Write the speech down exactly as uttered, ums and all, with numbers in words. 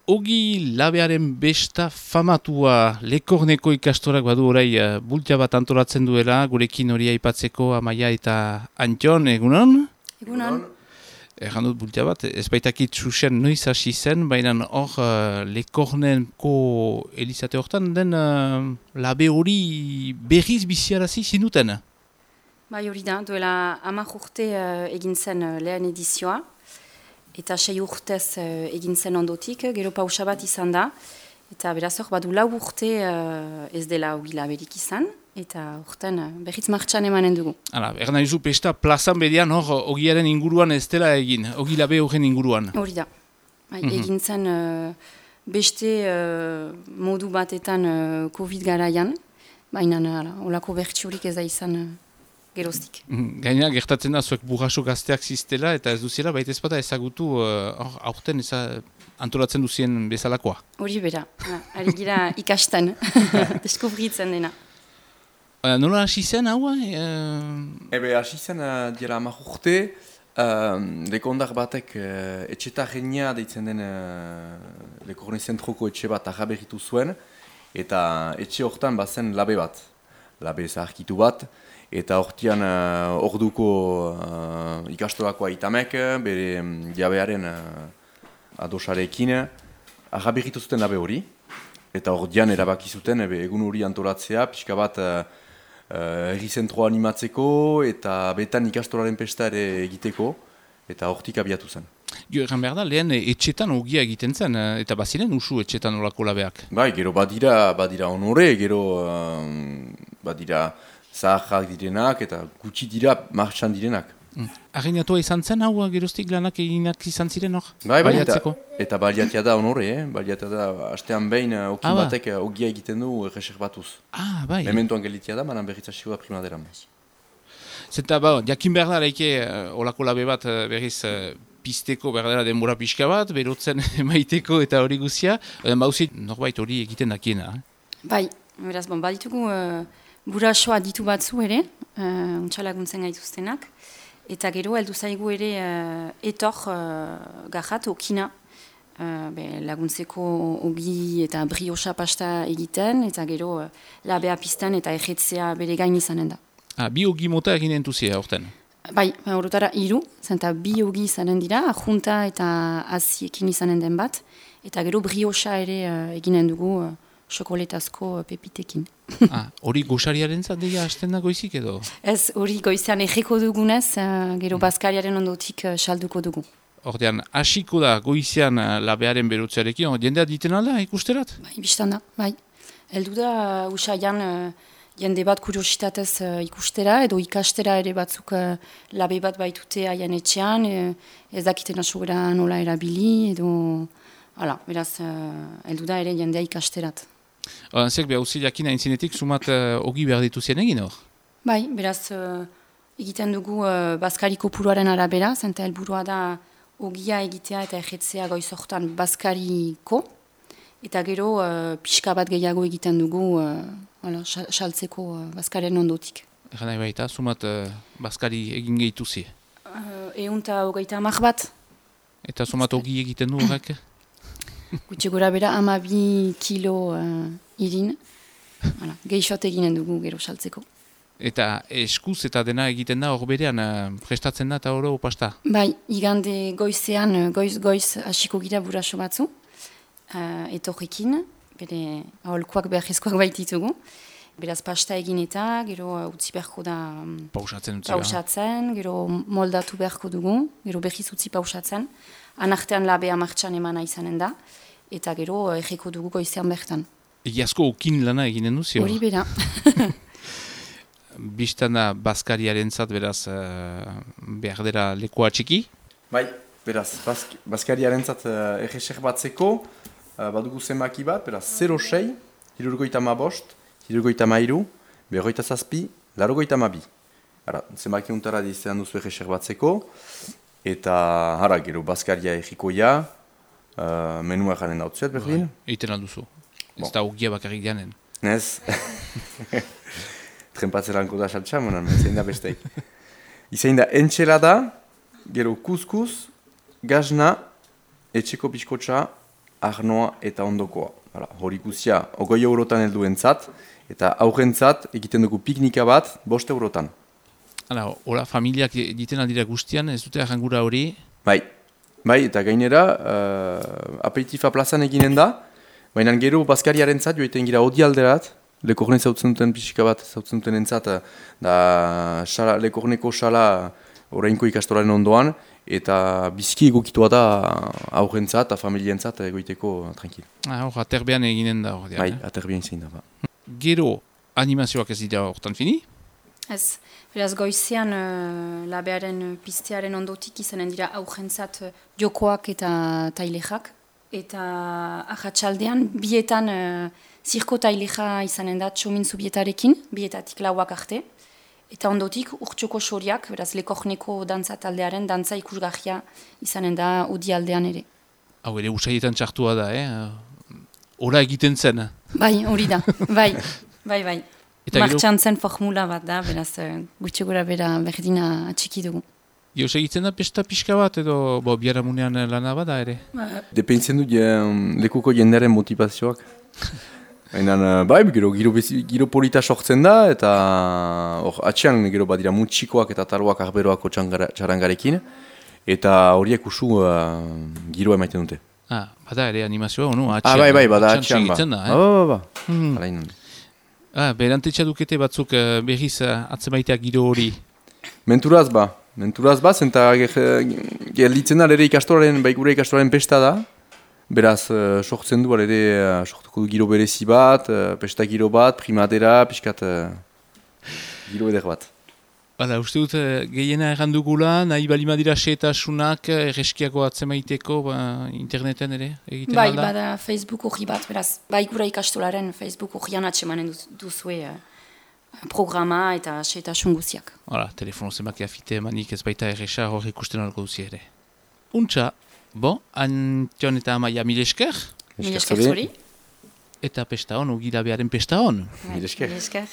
Ogi labearen besta famatua Lekorneko ikastorak badu orai uh, bultia bat antolatzen duela, gurekin hori aipatzeko Amaia eta Antion, egunon? Egunon. Erran dut bultia bat, ez baitakit susen noiz hasi zen, baina hor uh, Lekorneko elizate hortan den uh, labe hori berriz biziarazi zinuten? Bai hori da, duela hamar urte uh, egin zen uh, lehen edizioa. Eta sei urtez uh, egin zen ondotik, gero pausa bat izan da. Eta beraz hor, badu lau urte uh, ez dela ogi laberik izan. Eta urten uh, berriz martxan emanen dugu. Hala, erna izu pesta plazan bedian hor ogiaren inguruan ez dela egin, ogi labe horren inguruan. Hori da. Bai, Mhm. egin zen uh, beste uh, modu batetan uh, Covid garaian. Baina uh, olako bertsiorik ez da izan uh, geroztik. Gaina gertatzen da zuek burraso gazteak ziztela eta ez duziela baita ez bada ezagutu uh, aurten eza antolatzen duzien bezalakoa. Hori bera, ha, ari gira ikasten, deskubritzen dena. Uh, nola hasi zen hau? Uh... Ebe, hasi zen uh, dira hamar urte, uh, lekondar batek uh, etxetarrenia deitzen den uh, Lekorne zentroko etxe bat ahaberritu zuen, eta etxe hortan bazen labe bat, labe zaharkitu bat, eta hortian uh, orduko uh, ikastolakoa itamek, bere um, jabearen uh, adosarekin, ahaberritu zuten labe hori, eta ordian erabaki zuten ebe, egun hori antolatzea, pixka bat uh, uh, erri zentro animatzeko, eta betan ikastolaren pesta ere egiteko, eta hortik abiatu zen. Jo, egan behar da, lehen etxetan ogia egiten zen, eh, eta baziren usu etxetan olako labeak. Bai, gero badira, badira honore, gero um, badira zaharrak direnak eta gutxi dira martxan direnak. Mm. Arreinatua izan zen hau geroztik lanak eginak izan ziren hor? Bai, bai, eta, Baliatzeko? eta baliatia da honore, eh? Baliatia da astean behin uh, okin Ah, ba. batek uh, ogia egiten du erreserbatuz. Ah, bai. Mementoan gelitia da, manan berriz hasiko da primaderan. Zeta, ba, jakin behar da laike uh, olako labe bat uh, berriz uh, pizteko behar dela denbora pixka bat, berotzen maiteko eta hori guzia. Uh, Bauzit, norbait hori egiten dakiena. Eh? Bai, beraz, bon, baditugu uh, burasoa ditu batzu ere, uh, untxalaguntzen gaituztenak, eta gero heldu zaigu ere uh, etor uh, garrat okina, uh, be, laguntzeko ogi eta briosa pasta egiten, eta gero uh, labea pizten eta ejetzea bere gain izanen da. Ah, bi ogi mota egin entuzia horten. Bai, horotara hiru, zenta bi ogi izanen dira, ajunta eta aziekin izanen den bat, eta gero briosa ere uh, eginen dugu uh, xokoletazko pepitekin. Ah, hori goxariaren zadeia hasten da goizik edo? Ez, hori goizean egeko dugunez, uh, gero bazkariaren ondotik uh, salduko dugu. Ordean, hasiko da goizean uh, labearen berotzearekin, hor, jendea diten alda ikusterat? Bai, biztan da, bai. Heldu da, uh, usaian, uh, jende bat kuriositatez uh, ikustera, edo ikastera ere batzuk uh, labe bat baitute haien etxean, uh, ez dakiten asogera nola erabili, edo... Hala, beraz, uh, heldu da ere jendea ikasterat. Zek, behar uzi jakin aintzinetik sumat uh, ogi behar dituzien egin hor? Bai, beraz, uh, egiten dugu uh, bazkari kopuruaren arabera, zenta helburua da ogia egitea eta ejetzea goizortan bazkariko, eta gero uh, pixka bat gehiago egiten dugu uh, hala, saltzeko uh, bazkaren ondotik. Egan nahi baita, sumat uh, bazkari egin gehituzi. Uh, Eunta hogeita hamar bat, Eta sumat ogi egiten du horrek? gutxi gora bera amabi kilo uh, irin, hala, gehixot eginen dugu gero saltzeko. Eta eskuz eta dena egiten da hor berean uh, prestatzen da eta oro opasta? Bai, igande goizean, goiz-goiz hasiko gira buraso batzu, uh, etorrekin, bere aholkoak beharrezkoak baititugu. Beraz pasta egin eta, gero uh, utzi beharko da um, Pausatzen utzi behar. pausatzen, gero moldatu beharko dugu, gero behiz utzi pausatzen, anartean labea martxan emana izanen da, eta gero uh, egeko dugu goizean bertan. Egiazko ukin lana eginen duzio? Hori bera. Bistan da bazkariaren zat beraz uh, behar dela lekoa txiki? Bai, beraz, bazk, bazkariaren zat uh, erreser batzeko, uh, badugu zenbaki bat, beraz, zero sei, hirurgoita ma bost, hirurgoita ma iru, berroita zazpi, larrogoita ma bi. Hara, zenbaki untara dizean duzu erreser batzeko, eta hara, gero bazkaria egikoia, uh, menua jaren dautzuet, berdin? Eiten alduzu. Ez Bon. da ogia bakarrik janen. Ez. Trenpatzeranko da saltsa, monan, zein da besteik. Izein da entxelada, gero kuskus, gazna, etxeko pixkotxa, arnoa eta ondokoa. Hala, hori guzia, ogoi eurotan helduentzat, eta aurrentzat egiten dugu piknika bat, bost eurotan. Hala, hola, familiak egiten aldira guztian, ez dute arrangura hori? Bai, bai, eta gainera, uh, aperitifa plazan eginen da, baina gero Baskariaren zat, joiten gira odi alderat, Lekorne zautzen duten pixika bat, zautzen duten entzat, da xala, Lekorneko xala orainko ikastolaren ondoan, eta biziki egokitua da aurrentzat eta familientzat egoiteko tranquil. Ah, hor, aterbean eginen da hor. Bai, aterbean zein da. Ba. Gero, animazioak ez dira hortan fini? Ez, beraz goizean uh, labearen pistearen ondotik izanen dira aurrentzat uh, jokoak eta tailexak. Eta ahatsaldean bietan uh, zirko taileja izanen da txomintzu bietarekin, bietatik lauak arte. Eta ondotik urtsoko soriak, beraz Lekorneko dantza taldearen dantza ikusgarria izanen da udi aldean ere. Hau ere usaietan txartua da, eh? Hora egiten zen. Bai, hori da, bai, bai, bai. Martxan zen formula bat da, beraz gutxi gora bera berdina atxiki dugu. Joz egiten da pesta pixka bat edo bo, biharamunean lana bada ere? Dependtzen du um, lekuko jendearen motivazioak. Baina, bai, gero, giro, giro polita sortzen da, eta hor, atxean gero badira mutxikoak eta taruak arberoako txarangarekin, eta horiek usu uh, giroa emaiten dute. Ah, bada ere animazioa, onu? Atxean, ah, bai, bai, bada atxean, ba. Da, eh? Ba, ba, ba, ba. Hmm. Ah, berantetxa dukete batzuk uh, berriz uh, atzemaitea giro hori? Menturaz ba, menturaz ba, zenta gelditzen da ere ikastolaren, bai gure ikastolaren pesta da, beraz, uh, sortzen du, ere, uh, sortuko du giro berezi bat, uh, pesta giro bat, primadera, pixkat uh, giro eder bat. Hala, uste dut, gehiena errandugula, nahi balima dira seetasunak, erreskiako atzemaiteko, ba, interneten ere, egiten bai, alda? Bai, bada Facebook hori bat, beraz, bai gura ikastolaren Facebook horian atsemanen duzue uh, programa eta seetasun guziak. Hala, telefono zemak eafite emanik ez baita erresa hor ikusten alko duzi ere. Untxa, bo, Antion eta Amaia mil esker? Mil esker zuri. Eta pesta hon, ugilabearen pesta hon. Mil esker. Mil esker.